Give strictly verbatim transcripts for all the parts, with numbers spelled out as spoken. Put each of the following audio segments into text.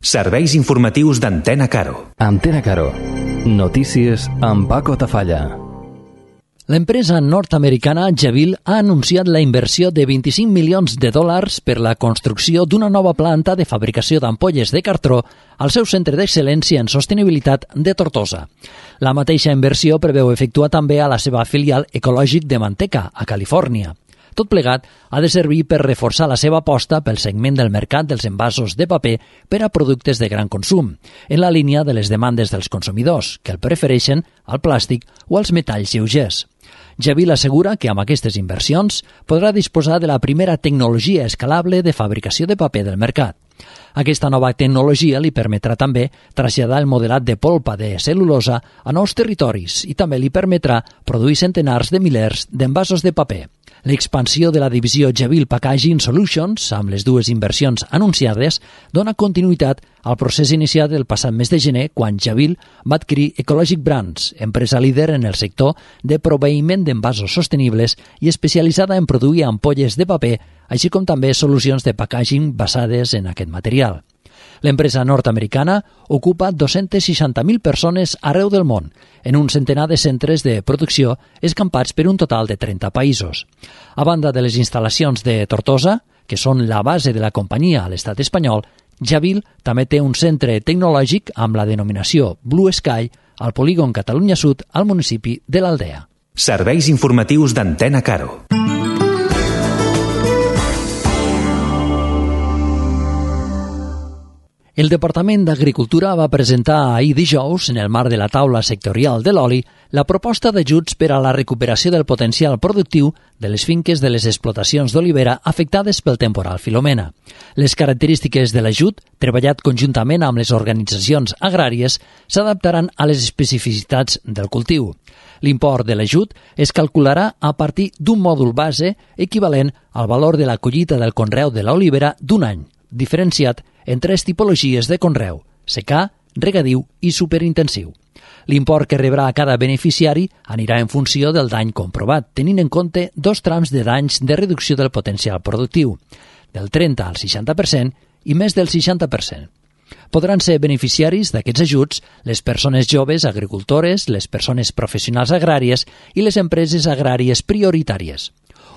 Serveis informatius d'Antena Caro. Antena Caro. Notícies amb Paco Tafalla. L'empresa nord-americana Jabil ha anunciat la inversió de vint-i-cinc milions de dòlars per la construcció d'una nova planta de fabricació d'ampolles de cartró al seu centre d'excel·lència en sostenibilitat de Tortosa. La mateixa inversió preveu efectuar també a la seva filial ecològic de Manteca, a Califòrnia. Tot plegat ha de servir per reforçar la seva aposta pel segment del mercat dels envasos de paper per a productes de gran consum, en la línia de les demandes dels consumidors, que el prefereixen al plàstic o als metalls lleugers. Jabil assegura que amb aquestes inversions podrà disposar de la primera tecnologia escalable de fabricació de paper del mercat. Aquesta nova tecnologia li permetrà també traslladar el modelat de polpa de cel·lulosa a nous territoris i també li permetrà produir centenars de milers d'envasos de paper. L'expansió de la divisió Jabil Packaging Solutions, amb les dues inversions anunciades, dona continuïtat al procés iniciat el passat mes de gener quan Jabil va adquirir Ecologic Brands, empresa líder en el sector de proveïment d'envasos sostenibles i especialitzada en produir ampolles de paper, així com també solucions de packaging basades en aquest material. L'empresa nord-americana ocupa dos-centes seixanta mil persones arreu del món, en un centenar de centres de producció escampats per un total de trenta països. A banda de les instal·lacions de Tortosa, que són la base de la companyia a l'estat espanyol, Jabil també té un centre tecnològic amb la denominació Blue Sky al polígon Catalunya Sud al municipi de l'Aldea. Serveis informatius d'Antena Caro. El Departament d'Agricultura va presentar ahir dijous, en el marc de la taula sectorial de l'oli, la proposta d'ajuts per a la recuperació del potencial productiu de les finques de les explotacions d'olivera afectades pel temporal Filomena. Les característiques de l'ajut, treballat conjuntament amb les organitzacions agràries, s'adaptaran a les especificitats del cultiu. L'import de l'ajut es calcularà a partir d'un mòdul base equivalent al valor de la collita del conreu de l'olivera d'un any, diferenciat en tres tipologies de conreu: secà, regadiu i superintensiu. L'import que rebrà cada beneficiari anirà en funció del dany comprovat, tenint en compte dos trams de danys de reducció del potencial productiu, del trenta al seixanta per cent i més del seixanta per cent. Podran ser beneficiaris d'aquests ajuts les persones joves agricultores, les persones professionals agràries i les empreses agràries prioritàries.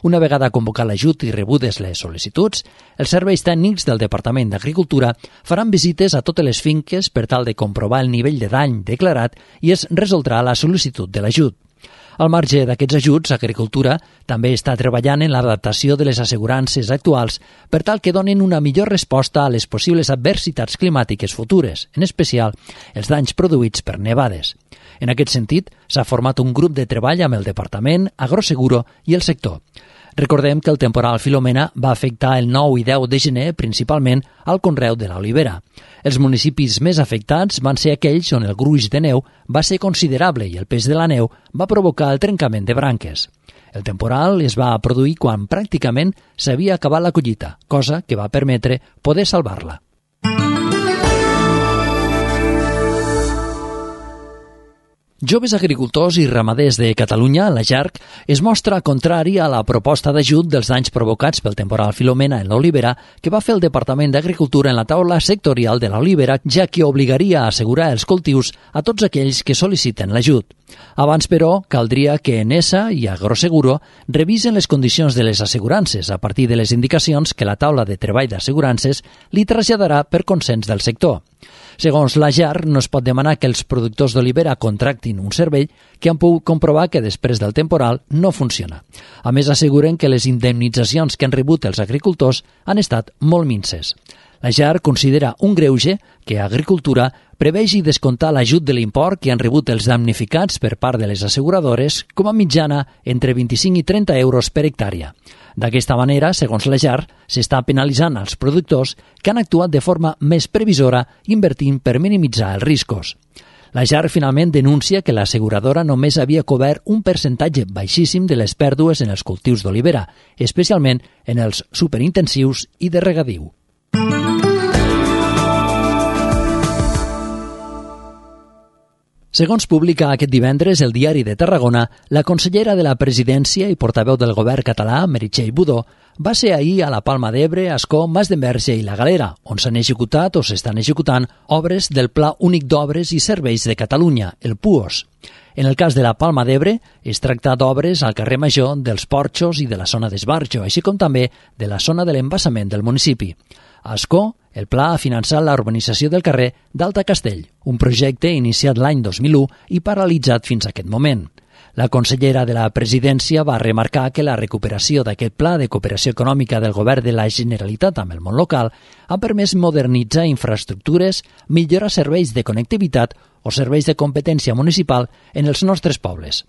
Una vegada convocat l'ajut i rebudes les sol·licituds, els serveis tècnics del Departament d'Agricultura faran visites a totes les finques per tal de comprovar el nivell de dany declarat i es resoldrà la sol·licitud de l'ajut. Al marge d'aquests ajuts, Agricultura també està treballant en l'adaptació de les assegurances actuals per tal que donin una millor resposta a les possibles adversitats climàtiques futures, en especial els danys produïts per nevades. En aquest sentit, s'ha format un grup de treball amb el Departament, Agroseguro i el sector. Recordem que el temporal Filomena va afectar el nou i deu de gener principalment al conreu de l'olivera. Els municipis més afectats van ser aquells on el gruix de neu va ser considerable i el pes de la neu va provocar el trencament de branques. El temporal es va produir quan pràcticament s'havia acabat la collita, cosa que va permetre poder salvar-la. Joves Agricultors i Ramaders de Catalunya, la JARC, es mostra contrari a la proposta d'ajut dels danys provocats pel temporal Filomena en l'olivera que va fer el Departament d'Agricultura en la taula sectorial de l'olivera, ja que obligaria a assegurar els cultius a tots aquells que sol·liciten l'ajut. Abans, però, caldria que Enesa i Agroseguro revisen les condicions de les assegurances a partir de les indicacions que la taula de treball d'assegurances li traslladarà per consens del sector. Segons la JARC, no es pot demanar que els productors d'olivera contractin un servei que han pogut comprovar que després del temporal no funciona. A més, asseguren que les indemnitzacions que han rebut els agricultors han estat molt minses. La JARC considera un greuge que Agricultura prevegi descomptar l'ajut de l'import que han rebut els damnificats per part de les asseguradores com a mitjana entre vint-i-cinc i trenta euros per hectàrea. D'aquesta manera, segons la JARC, s'està penalitzant els productors que han actuat de forma més previsora invertint per minimitzar els riscos. La JARC finalment denuncia que l'asseguradora només havia cobert un percentatge baixíssim de les pèrdues en els cultius d'olivera, especialment en els superintensius i de regadiu. Segons publica aquest divendres el Diari de Tarragona, la consellera de la Presidència i portaveu del govern català, Meritxell Budó, va ser ahir a la Palma d'Ebre, Ascó, Mas d'Enverge i la Galera, on s'han executat o s'estan executant obres del Pla Únic d'Obres i Serveis de Catalunya, el P U O S. En el cas de la Palma d'Ebre, es tracta d'obres al carrer Major, dels Porxos i de la zona d'Esbarjo, així com també de la zona de l'embassament del municipi. A Ascó, el pla ha finançat la urbanització del carrer d'Alta Castell, un projecte iniciat l'any dos mil u i paralitzat fins a aquest moment. La consellera de la Presidència va remarcar que la recuperació d'aquest pla de cooperació econòmica del govern de la Generalitat amb el món local ha permès modernitzar infraestructures, millorar serveis de connectivitat o serveis de competència municipal en els nostres pobles.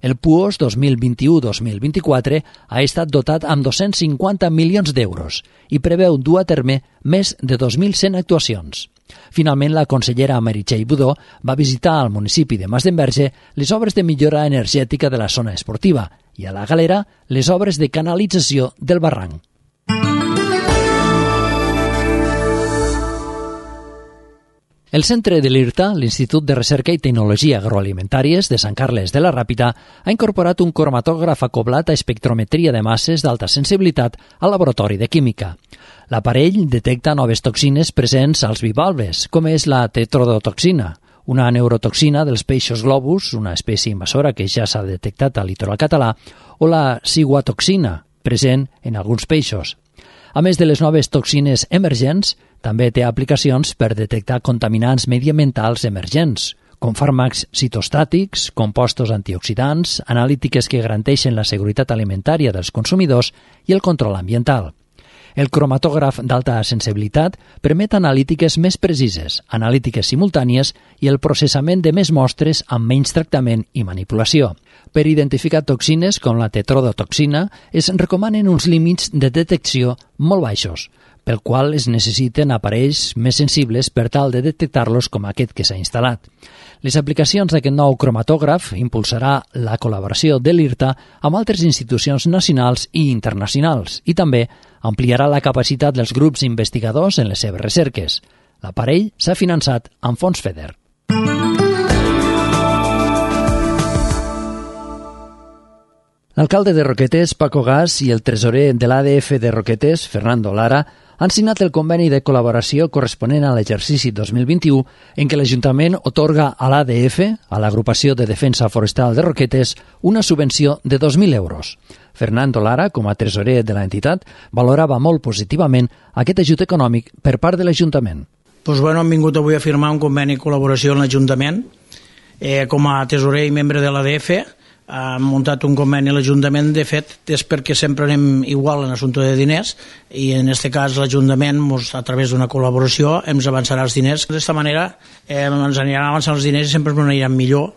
El P U O S dos mil vint-i-u dos mil vint-i-quatre ha estat dotat amb dos-cents cinquanta milions d'euros i preveu dur a terme més de dos mil cent actuacions. Finalment, la consellera Meritxell Budó va visitar al municipi de Mas d'Enverge les obres de millora energètica de la zona esportiva i a la Galera les obres de canalització del barranc. El centre de l'I R T A, l'Institut de Recerca i Tecnologia Agroalimentàries de Sant Carles de la Ràpita, ha incorporat un cromatògraf acoblat a espectrometria de masses d'alta sensibilitat al laboratori de química. L'aparell detecta noves toxines presents als bivalves, com és la tetrodotoxina, una neurotoxina dels peixos globus, una espècie invasora que ja s'ha detectat al litoral català, o la ciguatoxina, present en alguns peixos. A més de les noves toxines emergents, també té aplicacions per detectar contaminants mediambientals emergents, com fàrmacs citostàtics, compostos antioxidants, analítiques que garanteixen la seguretat alimentària dels consumidors i el control ambiental. El cromatògraf d'alta sensibilitat permet analítiques més precises, analítiques simultànies i el processament de més mostres amb menys tractament i manipulació. Per identificar toxines com la tetrodotoxina es recomanen uns límits de detecció molt baixos, pel qual es necessiten aparells més sensibles per tal de detectar-los com aquest que s'ha instal·lat. Les aplicacions d'aquest nou cromatògraf impulsarà la col·laboració de l'I R T A amb altres institucions nacionals i internacionals i també ampliarà la capacitat dels grups investigadors en les seves recerques. L'aparell s'ha finançat amb fons FEDER. L'alcalde de Roquetes, Paco Gas, i el tresorer de l'A D F de Roquetes, Fernando Lara, han signat el conveni de col·laboració corresponent a l'exercici dos mil vint-i-u en què l'Ajuntament otorga a l'A D F, a l'Agrupació de Defensa Forestal de Roquetes, una subvenció de dos mil euros. Fernando Lara, com a tresorer de l'entitat, valorava molt positivament aquest ajut econòmic per part de l'Ajuntament. Pues bueno, hem vingut avui a firmar un conveni de col·laboració amb l'Ajuntament. Eh, com a tresorer i membre de l'A D F, ha muntat un conveni a l'Ajuntament. De fet, és perquè sempre anem igual en assumpte de diners i en aquest cas l'Ajuntament, a través d'una col·laboració, ens avançarà els diners. D'esta manera eh, ens aniran avançant els diners i sempre ens aniran millor,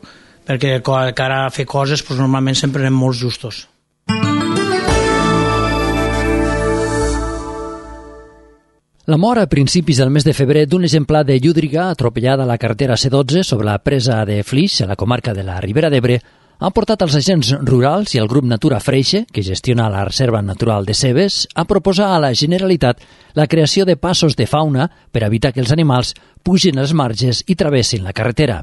perquè de cara a fer coses doncs, normalment sempre anem molt justos. La mort a principis del mes de febrer d'un exemplar de llúdriga atropellada a la carretera C dotze sobre la presa de Flix, a la comarca de la Ribera d'Ebre, han portat els agents rurals i el grup Natura Freixe, que gestiona la Reserva Natural de Cebes, a proposar a la Generalitat la creació de passos de fauna per evitar que els animals pugin als marges i travessin la carretera.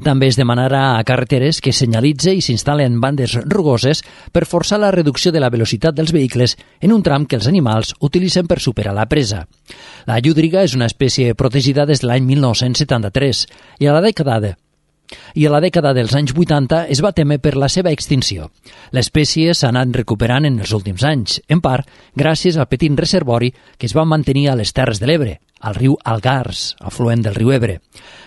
També es demanarà a carreteres que senyalitze i s'instal·len bandes rugoses per forçar la reducció de la velocitat dels vehicles en un tram que els animals utilitzen per superar la presa. La llúdriga és una espècie protegida des de l'any mil nou-cents setanta-tres i a la dècada de i a la dècada dels anys vuitanta es va temer per la seva extinció. L'espècie s'ha anat recuperant en els últims anys, en part gràcies al petit reservori que es va mantenir a les Terres de l'Ebre, al riu Algars, afluent del riu Ebre.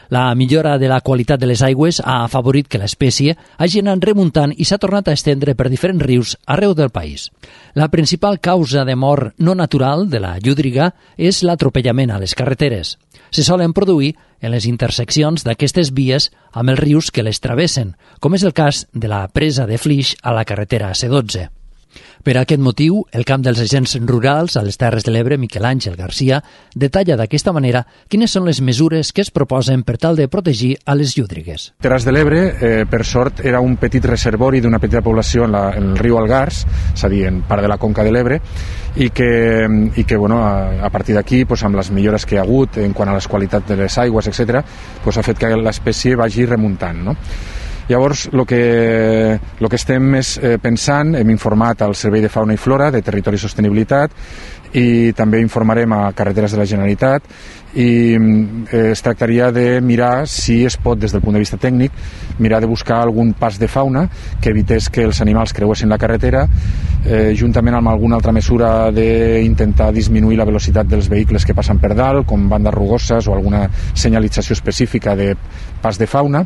La millora de la qualitat de les aigües ha afavorit que l'espècie hagi anat remuntant i s'ha tornat a estendre per diferents rius arreu del país. La principal causa de mort no natural de la llúdriga és l'atropellament a les carreteres. Se solen produir en les interseccions d'aquestes vies amb els rius que les travessen, com és el cas de la presa de Flix a la carretera C dotze. Per aquest motiu, el camp dels agents rurals a les Terres de l'Ebre, Miquel Àngel Garcia, detalla d'aquesta manera quines són les mesures que es proposen per tal de protegir a les llúdrigues. Terres de l'Ebre, eh, per sort, era un petit reservori d'una petita població en, la, en el riu Algars, és a dir, en part de la conca de l'Ebre, i que, i que bueno, a, a partir d'aquí, pues, amb les millores que hi ha hagut en quant a les qualitats de les aigües, etcètera, pues, ha fet que l'espècie vagi remuntant, no? Llavors, el que, lo que estem és eh, pensant, hem informat al Servei de Fauna i Flora de Territori i Sostenibilitat i també informarem a Carreteres de la Generalitat i eh, es tractaria de mirar si es pot, des del punt de vista tècnic, mirar de buscar algun pas de fauna que evités que els animals creuessin la carretera, eh, juntament amb alguna altra mesura d'intentar disminuir la velocitat dels vehicles que passen per dalt, com bandes rugoses o alguna senyalització específica de pas de fauna,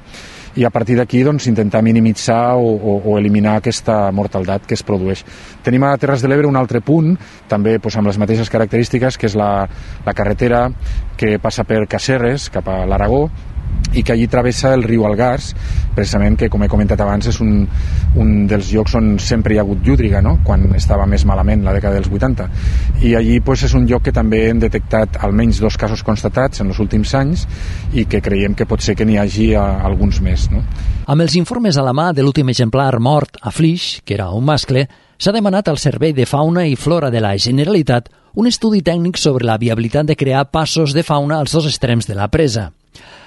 i a partir d'aquí doncs, intentar minimitzar o, o, o eliminar aquesta mortaldat que es produeix. Tenim a Terres de l'Ebre un altre punt, també doncs, amb les mateixes característiques, que és la, la carretera que passa per Casserres, cap a l'Aragó, i que allí travessa el riu Algars, precisament que, com he comentat abans, és un, un dels llocs on sempre hi ha hagut llúdriga, no? Quan estava més malament, la dècada dels vuitanta. I allí pues, és un lloc que també hem detectat almenys dos casos constatats en els últims anys i que creiem que pot ser que n'hi hagi a, a alguns més. No? Amb els informes a la mà de l'últim exemplar mort a Flix, que era un mascle, s'ha demanat al Servei de Fauna i Flora de la Generalitat un estudi tècnic sobre la viabilitat de crear passos de fauna als dos extrems de la presa.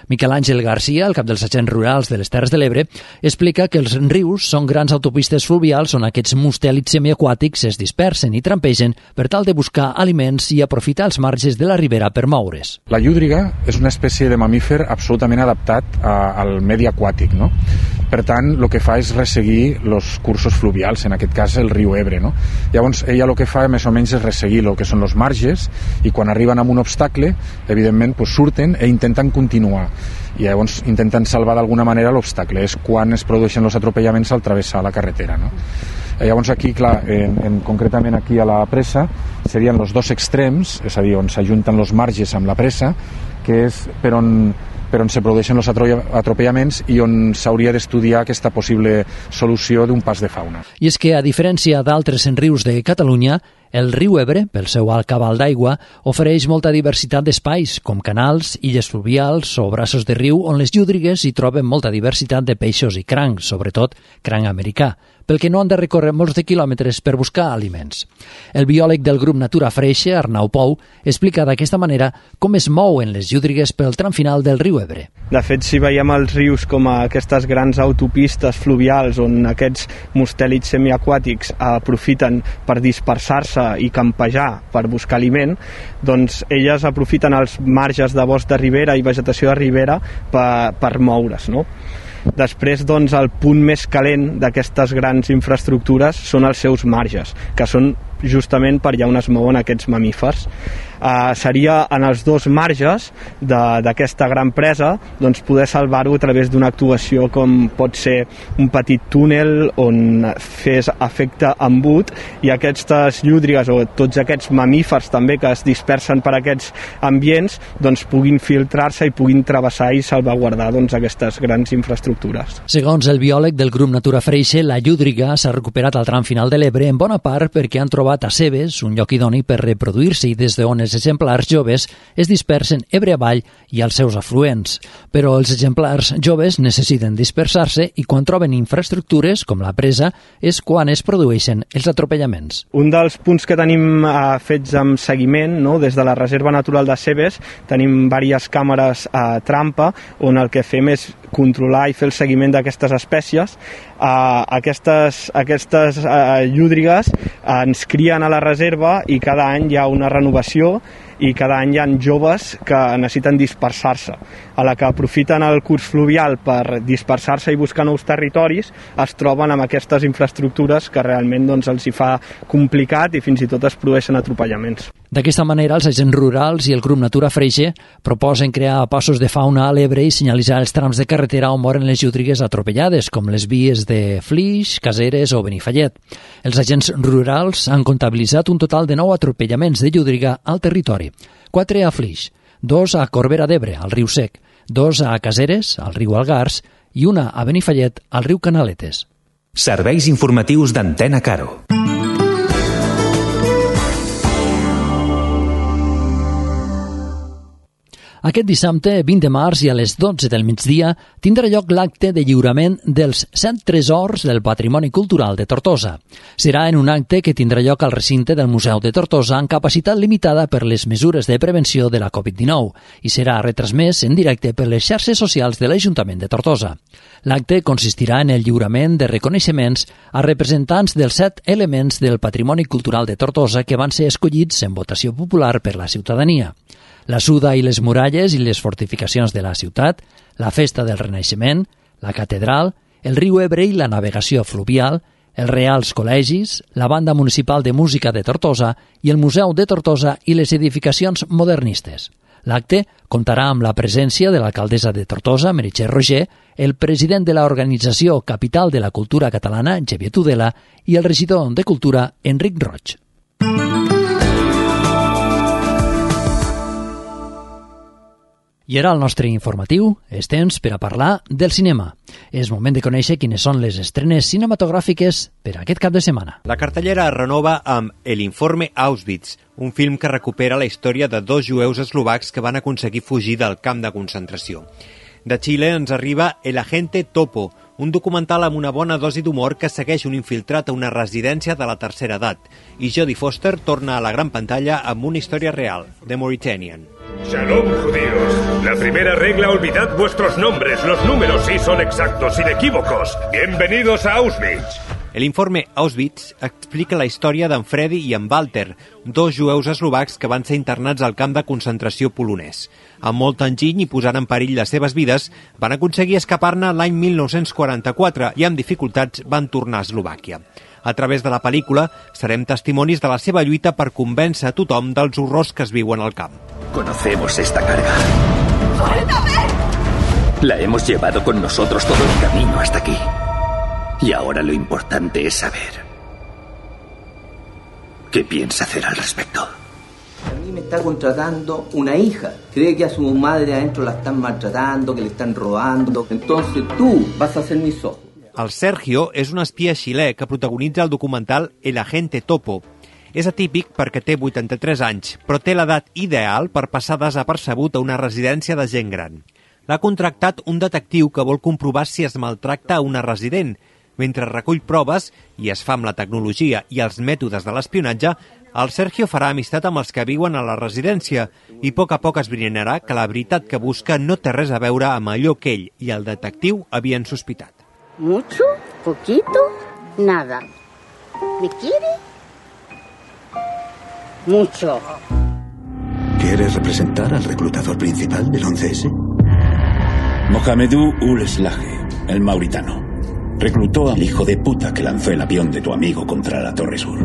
Miquel Àngel Garcia, el cap dels agents rurals de les Terres de l'Ebre, explica que els rius són grans autopistes fluvials on aquests mustèlids semiaquàtics es dispersen i trampegen per tal de buscar aliments i aprofitar els marges de la ribera per moure's. La llúdriga és una espècie de mamífer absolutament adaptat a, al medi aquàtic, no? Per tant, el que fa és resseguir els cursos fluvials, en aquest cas el riu Ebre. No? Llavors, ella el que fa més o menys és resseguir el que són els marges i quan arriben a un obstacle, evidentment, pues, surten i intenten continuar. I llavors intenten salvar d'alguna manera l'obstacle. És quan es produeixen els atropellaments al travessar la carretera. No? Llavors aquí, clar, en, en, concretament aquí a la presa, serien els dos extrems, és a dir, on s'ajunten els marges amb la presa, que és per on per on se produeixen els atropellaments i on s'hauria d'estudiar aquesta possible solució d'un pas de fauna. I és que, a diferència d'altres rius de Catalunya, el riu Ebre, pel seu alt cabal d'aigua, ofereix molta diversitat d'espais, com canals, illes fluvials o braços de riu on les llúdrigues hi troben molta diversitat de peixos i crancs, sobretot cranc americà, pel que no han de recórrer molts de quilòmetres per buscar aliments. El biòleg del grup Natura Freixe, Arnau Pou, explica d'aquesta manera com es mouen les llúdrigues pel tram final del riu Ebre. De fet, si veiem els rius com a aquestes grans autopistes fluvials on aquests mustèlids semiaquàtics aprofiten per dispersar-se i campejar per buscar aliment, doncs elles aprofiten els marges de bosc de ribera i vegetació de ribera per, per moure's, no? Després, doncs, el punt més calent d'aquestes grans infraestructures són els seus marges, que són justament per allà on es mouen aquests mamífers. Uh, seria en els dos marges d'aquesta gran presa doncs poder salvar-ho a través d'una actuació com pot ser un petit túnel on fes efecte embut i aquestes llúdrigues o tots aquests mamífers també que es dispersen per aquests ambients doncs puguin filtrar-se i puguin travessar i salvaguardar doncs, aquestes grans infraestructures. Segons el biòleg del grup Natura Freixe, la llúdriga s'ha recuperat al tram final de l'Ebre en bona part perquè han trobat a Cebes un lloc idoni per reproduir-se i des d'on els exemplars joves es dispersen Ebre avall i als seus afluents. Però els exemplars joves necessiten dispersar-se i quan troben infraestructures, com la presa, és quan es produeixen els atropellaments. Un dels punts que tenim eh, fets amb seguiment, no? Des de la Reserva Natural de Cebes, tenim diverses càmeres a eh, trampa on el que fem és controlar i fer el seguiment d'aquestes espècies. Uh, aquestes, aquestes uh, llúdrigues uh, ens crien a la reserva i cada any hi ha una renovació i cada any hi ha joves que necessiten dispersar-se. A la que aprofiten el curs fluvial per dispersar-se i buscar nous territoris, es troben amb aquestes infraestructures que realment doncs, els hi fa complicat i fins i tot es produeixen atropellaments. D'aquesta manera, els agents rurals i el grup Natura Freixe proposen crear passos de fauna a l'Ebre i senyalitzar els trams de carretera on moren les llúdrigues atropellades, com les vies de Flix, Caseres o Benifallet. Els agents rurals han comptabilitzat un total de nou atropellaments de llúdriga al territori. Quatre a Flix, dos a Corbera d'Ebre, al riu Sec, dos a Caseres, al riu Algars, i una a Benifallet, al riu Canaletes. Serveis informatius d'Antena Caro. Aquest dissabte, vint de març, i a les dotze del migdia, tindrà lloc l'acte de lliurament dels set tresors del patrimoni cultural de Tortosa. Serà en un acte que tindrà lloc al recinte del Museu de Tortosa amb capacitat limitada per les mesures de prevenció de la covid dinou i serà retransmès en directe per les xarxes socials de l'Ajuntament de Tortosa. L'acte consistirà en el lliurament de reconeixements a representants dels set elements del patrimoni cultural de Tortosa que van ser escollits en votació popular per la ciutadania. La Suda i les muralles i les fortificacions de la ciutat, la festa del Renaixement, la catedral, el riu Ebre i la navegació fluvial, els Reals Col·legis, la Banda Municipal de Música de Tortosa i el Museu de Tortosa i les edificacions modernistes. L'acte comptarà amb la presència de l'alcaldessa de Tortosa, Meritxell Roger, el president de l'organització Capital de la Cultura Catalana, Xavier Tudela, i el regidor de Cultura, Enric Roig. I ara el nostre informatiu és temps per a parlar del cinema. És moment de conèixer quines són les estrenes cinematogràfiques per a aquest cap de setmana. La cartellera es renova amb El informe Auschwitz, un film que recupera la història de dos jueus eslovacs que van aconseguir fugir del camp de concentració. De Xile ens arriba El agente Topo, un documental amb una bona dosi d'humor que segueix un infiltrat a una residència de la tercera edat. I Jodie Foster torna a la gran pantalla amb una història real, The Mauritanian. Shalom, judíos. La primera regla, olvidad vuestros nombres. Los números sí son exactos, inequívocos. Bienvenidos a Auschwitz. El informe Auschwitz explica la història d'en Freddy i en Walter, dos jueus eslovacs que van ser internats al camp de concentració polonès. Amb molt enginy i posant en perill les seves vides, van aconseguir escapar-ne l'any mil nou-cents quaranta-quatre i amb dificultats van tornar a Eslovàquia. A través de la pel·lícula serem testimonis de la seva lluita per convèncer a tothom dels horrors que es viuen al camp. Conocemos esta carga. ¡Suéltame! La hemos llevado con nosotros todo el camino hasta aquí. Y ahora lo importante es saber qué piensa hacer al respecto. A mí me está contratando una hija. Cree que a su madre adentro la están maltratando, que le están robando. Entonces tú vas a ser mis ojos. El Sergio és un espia xilè que protagonitza el documental El agente Topo. És atípic perquè té vuitanta-tres anys, però té l'edat ideal per passar desapercebut a una residència de gent gran. L'ha contractat un detectiu que vol comprovar si es maltracta a una resident. Mentre recull proves i es fa amb la tecnologia i els mètodes de l'espionatge, el Sergio farà amistat amb els que viuen a la residència i a poc a poc esbrinarà que la veritat que busca no té res a veure amb allò que ell i el detectiu havien sospitat. ¿Mucho? ¿Poquito? Nada. ¿Me quiere? Mucho. ¿Quieres representar al reclutador principal del once ese? Mohamedou Ul Slahi, el mauritano. Reclutó al hijo de puta que lanzó el avión de tu amigo contra la Torre Sur.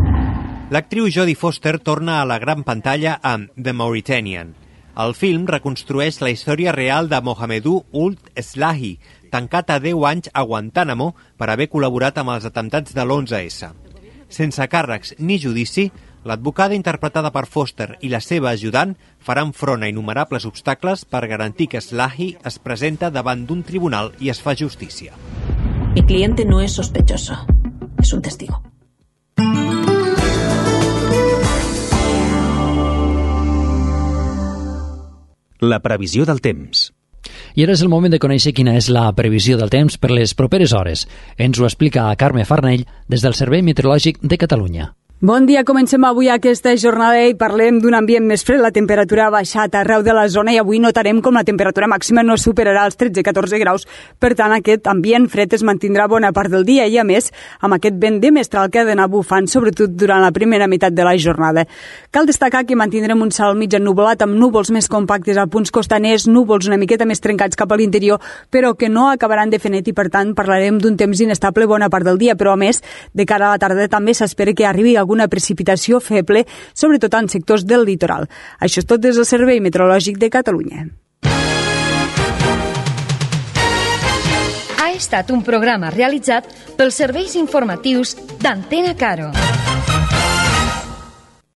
L'actriu Jodie Foster torna a la gran pantalla amb The Mauritanian. El film reconstrueix la història real de Mohamedou Ul Slahi, tancat a deu anys a Guantánamo per haver col·laborat amb els atemptats de l'onze esse. Sense càrrecs ni judici, l'advocada interpretada per Foster i la seva ajudant faran front a innumerables obstacles per garantir que Slahi es presenta davant d'un tribunal i es fa justícia. Mi cliente no es sospechoso, es un testigo. La previsió del temps. I ara és el moment de conèixer quina és la previsió del temps per les properes hores. Ens ho explica Carme Farnell des del Servei Meteorològic de Catalunya. Bon dia, comencem avui aquesta jornada i parlem d'un ambient més fred. La temperatura ha baixat arreu de la zona i avui notarem com la temperatura màxima no superarà els tretze a catorze graus. Per tant, aquest ambient fred es mantindrà bona part del dia i, a més, amb aquest vent de mestral que ha d'anar bufant, sobretot durant la primera meitat de la jornada. Cal destacar que mantindrem un cel mig ennuvolat amb núvols més compactes a punts costaners, núvols una miqueta més trencats cap a l'interior, però que no acabaran de fer net i, per tant, parlarem d'un temps inestable bona part del dia, però, a més, de cara a la tarda també s'espera que arribi algun una precipitació feble, sobretot en sectors del litoral. Això és tot des del Servei Meteorològic de Catalunya. Ha estat un programa realitzat pels serveis informatius d'Antena Caro.